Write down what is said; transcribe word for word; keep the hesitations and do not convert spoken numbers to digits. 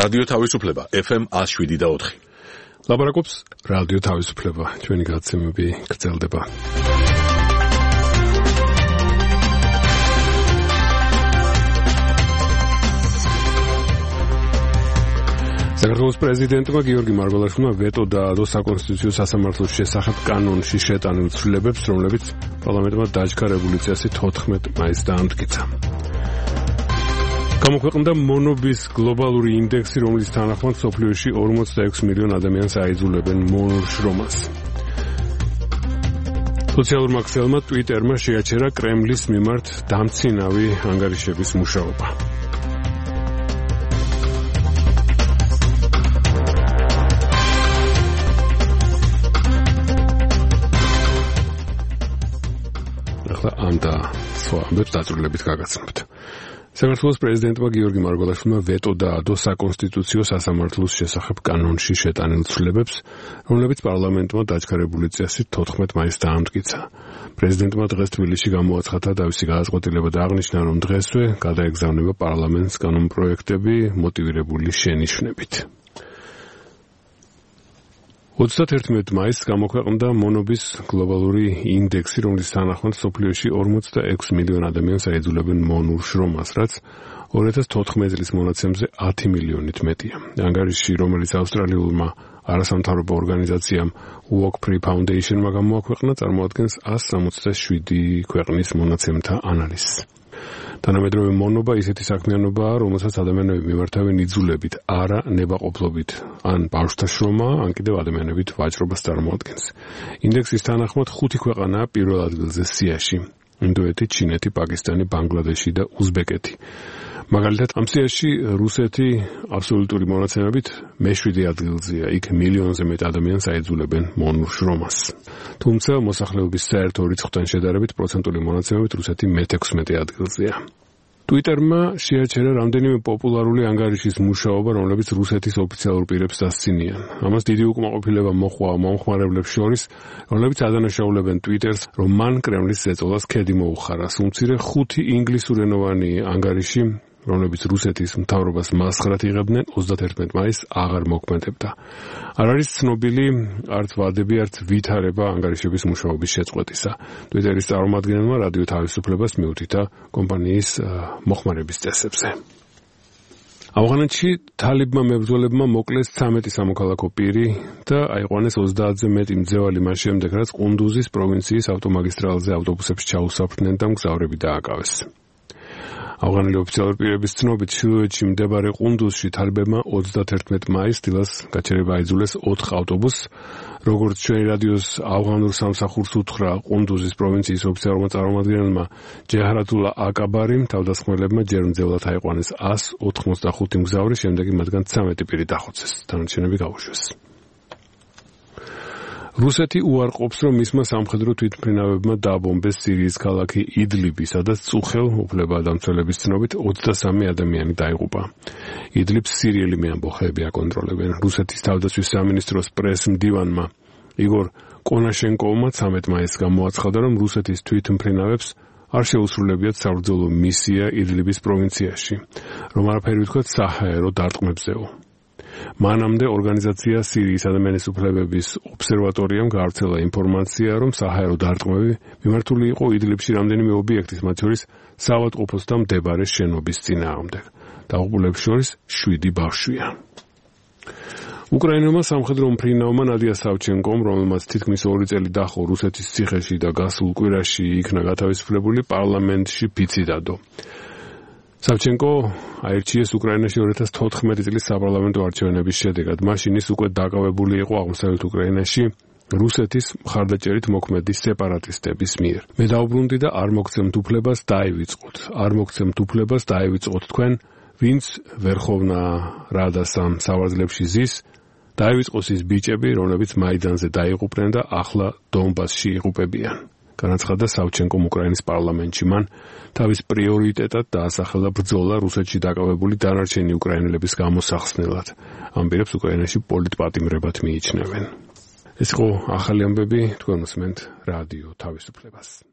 რადიო თავისუფლება ეფ ემ one oh seven point four. ლაპარაკობს რადიო თავისუფლება, ჩვენი გადაცემები გრძელდება. საქართველოს პრეზიდენტმა გიორგი მარგველაშვილმა ვეტო დაადო საკონსტიტუციო სასამართლოს შესახებ კანონში შეტანილ ცვლილებებს, რომლებიც პარლამენტმა დაჯქა რევოლუციასი თოთხმეტ მაისს დაამტკიცა. გამოქვეყნდა მონობის გლობალური ინდექსი, რომლის თანახმად მსოფლიოში ორმოცდაექვსი მილიონი ადამიანს აიძულებენ მონურ შრომას. სოციალურმა ქსელმა ტვიტერმა შეაჩერა კრემლის მიმართ დამცინავი ანგარიშების მუშაობა. ახლა ამ და სხვა ამბებს დაწვრილებით გაგაცნობთ. საქართველოს პრეზიდენტმა გიორგი მარგველაშვილმა ვეტო დაადო საკონსტიტუციო სასამართლოს შესახებ კანონში შეტანილ ცვლილებებს, რომლებიც პარლამენტმა დაჯქა რევოლუციასი თოთხმეტ მაისს დაამტკიცა. პრეზიდენტმა დღეს თბილისში გამოაცხადა თავისი გადაწყვეტილება და აღნიშნა, რომ დღესვე გადაეგზავნება პარლამენტს კანონპროექტები მოტივირებული შენიშვნებით. ოცდაათერთმეტ მაისს გამოქვეყნდა მონობის გლობალური ინდექსი, რომლის თანახმად მსოფლიოში ორმოცდაექვსი მილიონი ადამიანს აიძულებენ მონურ შრომას, რაც ორი ათას თოთხმეტ წლის მონაცემზე ათი მილიონით მეტია. ანგარიში, რომელიც ავსტრალიულმა არასამთავრობო ორგანიზაციამ Walk Free Foundation-მა გამოაქვეყნა, წარმოადგენს one seventy-seven ქვეყნის მონაცემთა ანალიზს. თანამედროვე მონობა ისეთი საქმიანობაა, რომელსაც ადამიანები მიმართავენ იძულებით, არა ნებაყოფლობით, ან ბავშვთა შრომა, ან კიდევ ადამიანებით ვაჭრობას წარმოადგენს. ინდექსის თანახმად ხუთი ქვეყანაა პირველ ადგილზე სიაში: ინდოეთი, ჩინეთი, პაკისტანი, ბანგლადეში და უზბეკეთი. მაგალითად, ამ სიაში რუსეთი აბსოლუტური მონაცემებით მეშვიდე ადგილზეა, იქ მილიონზე მეტ ადამიანს აიძულებენ მონურ შრომას. თუმცა მოსახლეობის საერთო რიცხვთან შედარებით პროცენტული მონაცემებით რუსეთი მეთექვსმეტე ადგილზეა. ტვიტერმა შეაჩერა რამდენიმე პოპულარული ანგარიშის მუშაობა, რომლებიც რუსეთის ოფიციალურ პირებს დასცინიან. ამას დიდი უკმაყოფილება მოჰყვა მომხმარებლებს შორის, რომლებიც ადანაშაულებენ ტვიტერს, რომ მან კრემლის ზეწოლას ქედი მოუხარა. უმცირე ხუთი ინგლისურენოვანი ანგარიში, რომლებიც რუსეთის მთავრობას მასხრად იღებდნენ, ოცდაათერთმეტ მაისს აღარ მოქმედებდა. არ არის ცნობილი არც ვადები, არც ვითარება ანგარიშების მუშაობის შეწყვეტისა. ტვიტერის წარმომადგენელმა რადიო თავისუფლებას მიუთითა კომპანიის მოხმარების წესებზე. ავღანეთში თალიბმა მებრძოლებმა მოკლეს ცამეტი სამოქალაქო პირი და აიყვანეს ოცდაათზე მეტი მძევალი მას შემდეგ, რაც ყუნდუზის პროვინციის ავტომაგისტრალზე ავტობუსებს ჩაუსაფრდნენ და მგზავრები დააკავეს. ავღანელი ოფიციალური პირების ცნობით, ჩრდილოეთში მდებარე ყუნდუზში თალიბებმა ოცდაათერთმეტ მაისს დილას გაჩერება აიძულეს ოთხ ავტობუსს. როგორც ჩვენი რადიოს ავღანურ სამსახურს უთხრა ყუნდუზის პროვინციის ოფიციალურმა წარმომადგენელმა ჯეჰრატულა აკაბარი, თავდასხმელებმა ჯერ მძევლად აიყვანეს one eighty-five მგზავრი, შემდეგ მათგან ცამეტი პირი დახოცეს, დანარჩენები გაუშვეს. რუსეთი უარყოფს, რომ მისმა სამხედრო თვითმფრინავებმა დააბომბეს სირიის ქალაქი იდლიბი, სადაც წუხელ უფლებადამცველების ცნობით ოცდასამი ადამიანი დაიღუპა. იდლიბს სირიელი მეამბოხეები აკონტროლებენ. რუსეთის თავდაცვის სამინისტროს პრეს-მდივანმა იგორ კონაშენკოვმა ცამეტ მაისს გამოაცხადა, რომ რუსეთის თვითმფრინავებს არ შეუსრულებიათ საბრძოლო მისია იდლიბის პროვინციაში, რომ არაფერი ვთქვათ საჰაერო დარტყმებზეო. მანამდე ორგანიზაცია სირიის ადამიანის უფლებების ობსერვატორიამ გაავრცელა ინფორმაცია, რომ საჰაერო დარტყმები მიმართული იყო იდლიბში რამდენიმე ობიექტის, მათ შორის საავადმყოფოსთან მდებარე შენობის წინააღმდეგ. დაღუპულებს შორის შვიდი ბავშვია. უკრაინელმა სამხედრო მფრინავმა ნადია სავჩენკომ, რომელმაც თითქმის ორი წელი დაჰყო რუსეთის ციხეში და გასულ კვირაში იქნა გათავისუფლებული, პარლამენტში ფიცი დადო. სავჩენკო აირჩიეს უკრაინაში ორი ათას თოთხმეტი წლის საპარლამენტო არჩევნების შედეგად. მაშინ ის უკვე დაკავებული იყო აღმოსავლეთ უკრაინაში რუსეთის მხარდაჭერით მოქმედი სეპარატისტების მიერ. მე დაუბრუნდი და არ მოგცემთ უფლებას დაივიწყოთ. არ მოგცემთ უფლებას დაივიწყოთ თქვენ, ვინც ვერხოვნა რადასამ სავარძლებში ზის, დაივიწყოს ის ბიჭები, რომლებიც მაიდანზე დაიღუპნენ და ახლა დონბასში იღუპებიან. განაცხადა სავჩენკომ უკრაინის პარლამენტში. მან თავის პრიორიტეტად დაასახელა ბრძოლა რუსეთში დაკავებული დანარჩენი უკრაინელების გამოსახსნელად. ამ პირებს უკრაინაში პოლიტპატიმრებად მიიჩნევენ. ეს იყო ახალი ამბები, თქვენ უსმენთ რადიო თავისუფლებას.